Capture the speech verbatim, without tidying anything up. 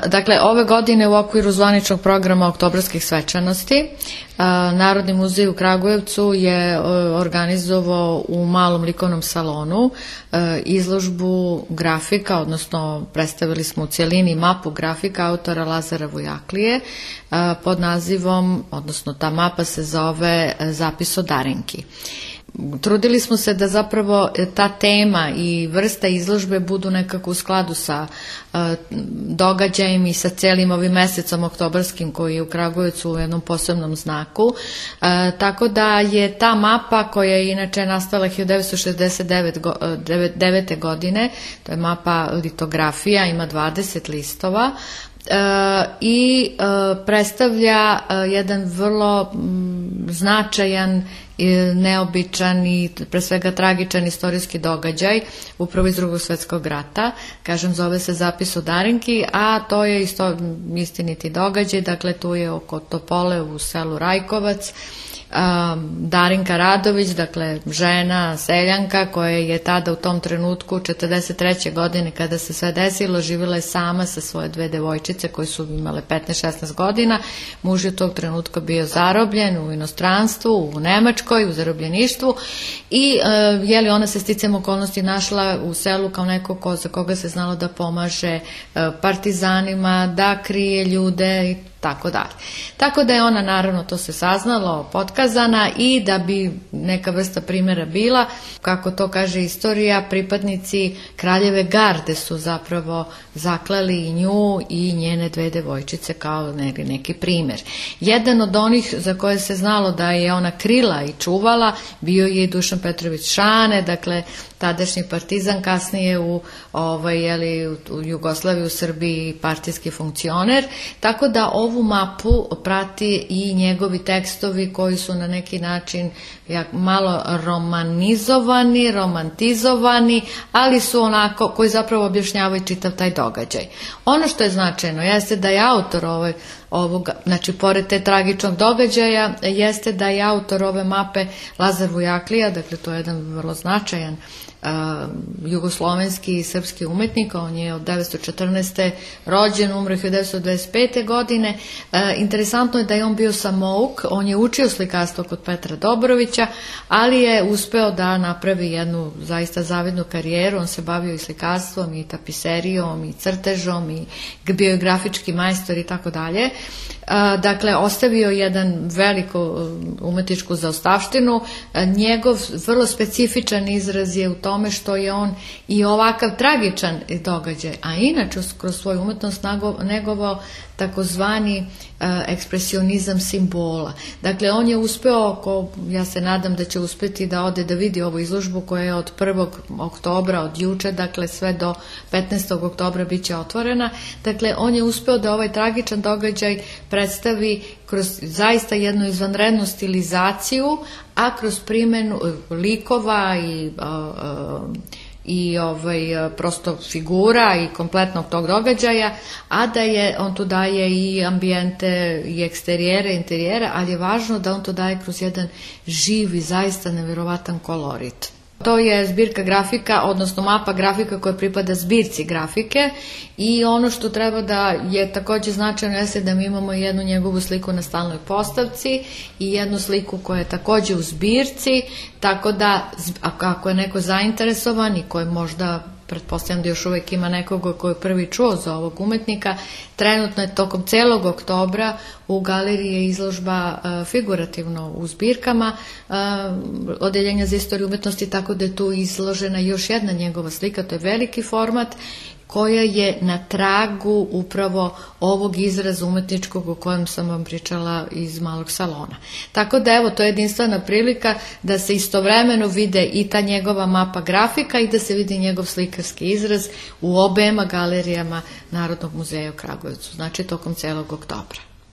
Dakle, ove godine u okviru zvaničnog programa oktobarskih svečanosti Narodni muzej u Kragujevcu je organizovao u malom likovnom salonu izložbu grafika, odnosno predstavili smo u cijelini mapu grafika autora Lazara Vujaklije pod nazivom, odnosno ta mapa se zove Zapis o Darinki. Trudili smo se da zapravo ta tema i vrsta izložbe budu nekako u skladu sa uh, događajem i sa cijelim ovim mesecom oktobarskim koji je u Kragujevcu u jednom posebnom znaku. Uh, tako da je ta mapa koja je inače nastala hiljadu devetsto šezdeset devete. godine, to je mapa litografija, ima dvadeset listova, Uh, i uh, predstavlja uh, jedan vrlo m, značajan, neobičan i pre svega tragičan istorijski događaj upravo iz Drugog svjetskog rata. Kažem, zove se Zapis o Darinki, a to je isto istiniti događaj. Dakle, tu je oko Topole u selu Rajkovac Darinka Radović, dakle žena, seljanka koja je tada u tom trenutku četrdeset treće. godine kada se sve desilo živjela je sama sa svoje dve devojčice koje su imale petnaest šesnaest godina. Muž je u tog trenutka bio zarobljen u inostranstvu, u Nemačkoj, u zarobljeništvu i je li ona se sticajem okolnosti našla u selu kao neko ko, za koga se znalo da pomaže partizanima, da krije ljude i tako dalje. Tako da je ona, naravno, to se saznalo, potkazana i da bi neka vrsta primjera bila, kako to kaže istorija, pripadnici kraljeve garde su zapravo zaklali i nju i njene dve devojčice kao neki primjer. Jedan od onih za koje se znalo da je ona krila i čuvala bio je i Dušan Petrović Šane, dakle tadašnji partizan, kasnije u, ovaj, jeli, u Jugoslaviji, u Srbiji partijski funkcioner, tako da ovu mapu prati i njegovi tekstovi koji su na neki način malo romanizovani, romantizovani, ali su onako, koji zapravo objašnjavaju čitav taj događaj. Ono što je značajno jeste da je autor ovaj, ovoga, znači pored te tragičnog događaja, jeste da je autor ove mape Lazar Vujaklija, dakle to je jedan vrlo značajan Uh, jugoslovenski i srpski umetnik. On je od devetsto četrnaeste. rođen, umro hiljadu devetsto dvadeset pete. godine. Uh, interesantno je da je on bio samouk, on je učio slikarstvo kod Petra Dobrovića, ali je uspeo da napravi jednu zaista zavidnu karijeru. On se bavio i slikarstvom i tapiserijom i crtežom i bio je grafički majstor i tako dalje. Dakle, ostavio jedan veliku umetničku zaostavštinu. Njegov vrlo specifičan izraz je u tome što je on i ovakav tragičan događaj, a inače kroz svoju umetnost negovao takozvani ekspresionizam simbola. Dakle, on je uspeo, ko, ja se nadam da će uspjeti da ode da vidi ovu izložbu koja je od prvog oktobra, od juče, dakle sve do petnaestog oktobra bit će otvorena. Dakle, on je uspeo da ovaj tragičan događaj predstavi kroz zaista jednu izvanrednu stilizaciju, a kroz primjenu likova i a, a, i ovaj, prosto figura i kompletnog tog događaja, a da je, on tu daje i ambijente i eksterijere, interijere, ali je važno da on to daje kroz jedan živ i zaista nevjerovatan kolorit. To je zbirka grafika, odnosno mapa grafika koja pripada zbirci grafike i ono što treba da je također značajno jeste da mi imamo jednu njegovu sliku na stalnoj postavci i jednu sliku koja je također u zbirci, tako da ako je neko zainteresovan i koji možda, pretpostavljam da još uvijek ima nekoga koji je prvi čuo za ovog umetnika, trenutno je tokom celog oktobra u galeriji je izložba uh, figurativno u zbirkama uh, Odeljenja za istoriju umetnosti, tako da je tu izložena još jedna njegova slika, to je veliki format koja je na tragu upravo ovog izraza umetničkog o kojem sam vam pričala iz malog salona. Tako da evo, to je jedinstvena prilika da se istovremeno vide i ta njegova mapa grafika i da se vidi njegov slikarski izraz u obema galerijama Narodnog muzeja u Kragujevcu, znači tokom celog oktobra.